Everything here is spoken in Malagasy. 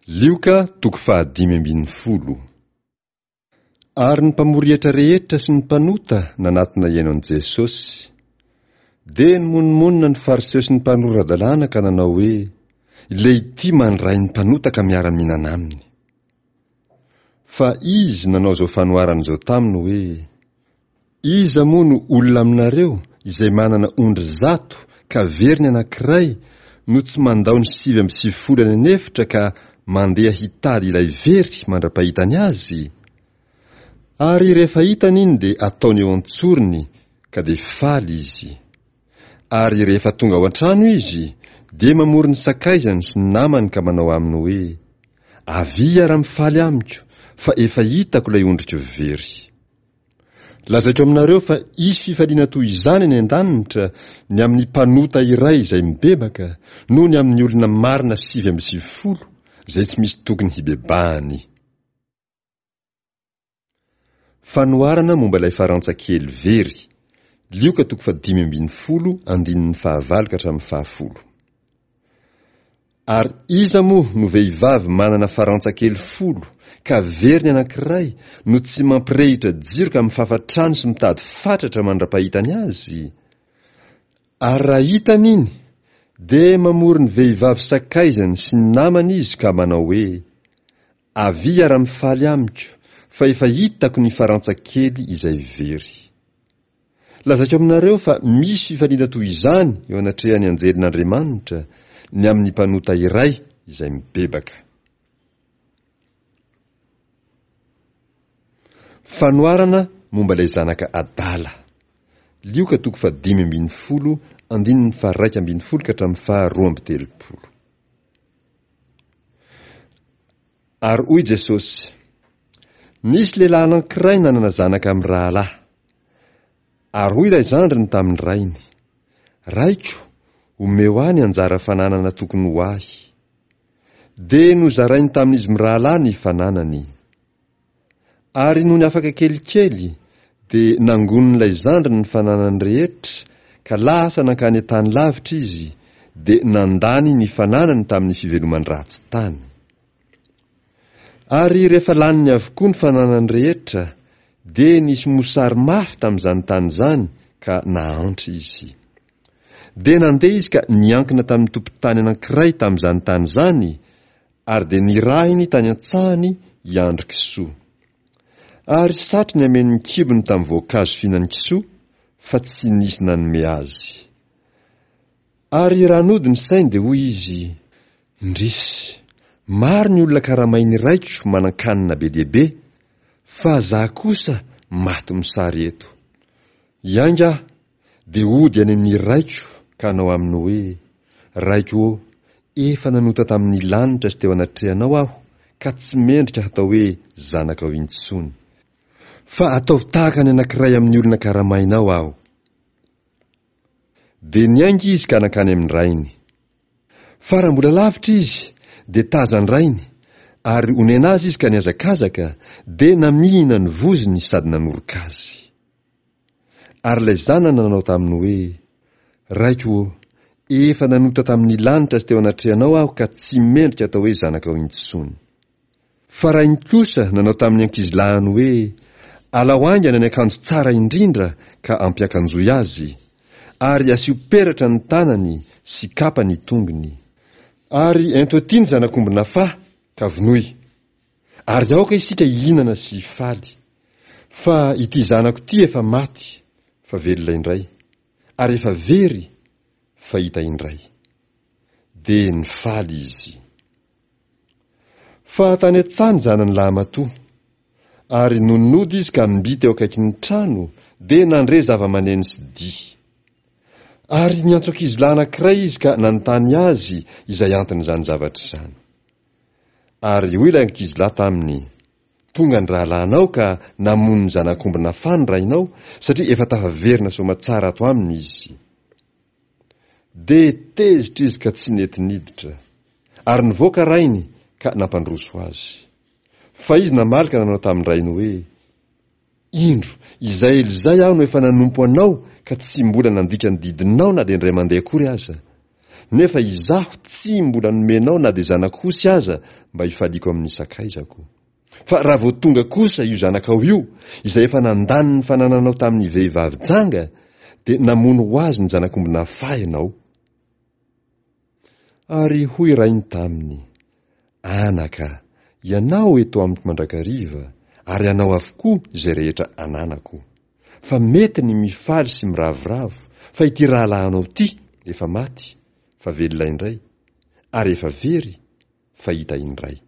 Lioka toko fahadimy ambin'ny folo. Ary ny mpamory hetra rehetra sy ny mpanota nanatona hihaino an'i Jesosy. Dia nimonomonona ny Fariseo sy ny mpanora-dalàna ka nanao hoe, Ilay ity mandray ny mpanota ka miara-mihinana aminy. Fa izy nanao izao fanoharana izao taminy hoe, Iza moa no olona aminareo izay manana ondry zato ka very ny anankiray no tsy mandao ny 99 any an'efitra ka mandeha hitady ilay very mandra-pahitany azy? Ary rehefa hitany iny dia ataony eo an-tsorony ka dia faly izy. Ary rehefa tonga ao an-trano izy dia mamory ny sakaizany sy ny namany ka manao aminy hoe, Avia hiara-mifaly amiko fa efa hitako ilay ondriko very. Lazaiko aminareo fa hisy fifaliana toy izany any an-danitra ny amin'ny mpanota iray izay mibebaka noho ny amin'ny olona marina 99 izay tsy misy tokony hibebahany. Fanoharana momba ilay farantsa kely very, Lioka toko fahadimy ambin'ny folo andininy fahavalo ka hatramin'ny fahafolo. Ary iza moa no vehivavy manana farantsa kely folo ka very ny anankiray no tsy mampirehitra jiro ka mifafa trano sy mitady fatratra mandra-pahitany azy? Ary raha hitany iny, dia mamory ny vehivavy sakaizany sy ny namany izy ka manao hoe, Avia hiara-mifaly amiko, fa efa hitako ny farantsa kely izay very. Lazaiko aminareo fa misy fifaliana toy izany eo anatrehan'ny anjelin'Andriamanitra ny amin'ny mpanota iray izay mibebaka. Fanoharana momba ilay zanaka adala. Lioka toko fahadimy ambin'ny folo, andininy faharaika ambin'ny folo ka hatramin'ny faharoa amby telopolo. Ary hoy Jesosy, Nisy lehilahy anankiray nanana zanaka mirahalahy. Ary hoy ilay zandriny tamin'ny rainy, Raiko, omeo ahy ny anjara fananana tokony ho ahy. Dia nozarainy tamin'izy mirahalahy ny fananany. Ary nony afaka kelikely, dia nangonin'ilay zandriny ny fananany rehetra, ka lasa nankany an-tany lavitra izy, dia nandany ny fananany tamin'ny fiveloman-dratsy tany. Ary rehefa laniny avokoa ny fananany rehetra, dia nisy mosary mafy tamin'izany tany izany ka nahantra izy. Dia nandeha izy ka niankina tamin'ny tompon-tany anankiray tamin'izany tany izany, ary dia nirahiny tany an-tsahany hiandry kisoa. Ary satriny hameno ny kibony tamin'ny voankazo fihinan'ny kisoa, fa tsy nisy nanome azy. Ary raha nody ny sainy dia hoy izy, Indrisy! Maro ny olona karamain'ny raiko manan-kanina be dia be, fa za kosa maty mosary eto. Hiainga aho, dia hody any amin'ny raiko ka hanao aminy hoe, Raiko ô, efa nanota tamin'ny lanitra sy teo anatrehanao aho, ka tsy mendrika hatao hoe zanakao intsony. Fa ataovy tahaka ny anankiray amin'ny olona karamainao aho. Dia niainga izy ka nankany amin'ny rainy. Fa raha mbola lavitra izy, dia tazan-drainy, ary onena azy izy ka nihazakazaka, dia namihina ny vozony sady nanoroka azy. Ary ilay zanany nanao taminy hoe, Raiko ô, efa nanota tamin'ny lanitra sy teo anatrehanao aho ka tsy mendrika atao hoe zanakao intsony. Fa rainy kosa nanao tamin'ny ankizilahiny hoe, Alao haingana ny akanjo tsara indrindra ka ampiakanjoy azy, ary asio peratra ny tanany sy kapa ny tongony. Ary ento aty ny zanak'omby nafaha ka vonoy. Ary aoka isika hihinana sy hifaly. Fa ity zanako ity efa maty, fa velona indray, ary efa very, fa hita indray. Dia nifaly izy. Fa tany an-tsaha ny zanany lahimatoa. Ary nony nody izy ka mby teo akaikin'ny trano, dia nandre zava-maneno sy dihy. Ary niantso ankizilahy anankiray izy ka nanontany azy izay anton'izany zavatra izany. Ary hoy ilay ankizilahy taminy, Tonga ny rahalahinao ka namono ny zanak'omby nafà ny rainao, satria efa tafaverina soamatsara ato aminy izy. Dia tezitra izy ka tsy nety niditra. Ary nivoaka rainy ka nampandroso azy. Fa izy namaly ka nanao tamin-drainy hoe, Indro, izay ela izay aho no efa nanompo anao ka tsy mbola nandika ny didinao na dia indray mandeha akory aza. Nefa izaho tsy mbola nomenao na dia zanak'osy aza mba hifaliako amin'ny sakaizako. Fa raha vao tonga kosa io zanakao io, izay efa nandany ny fanananao tamin'ny vehivavy janga, dia namono ho azy ny zanak'omby nafaha ianao. Ary hoy rainy taminy, Anaka, ianao eto amiko mandrakariva, ary anao avokoa izay rehetra ananako. Fa mety ny mifaly sy miravoravo, fa ity rahalahinao ity efa maty, fa velona indray, ary efa very, fa hita indray.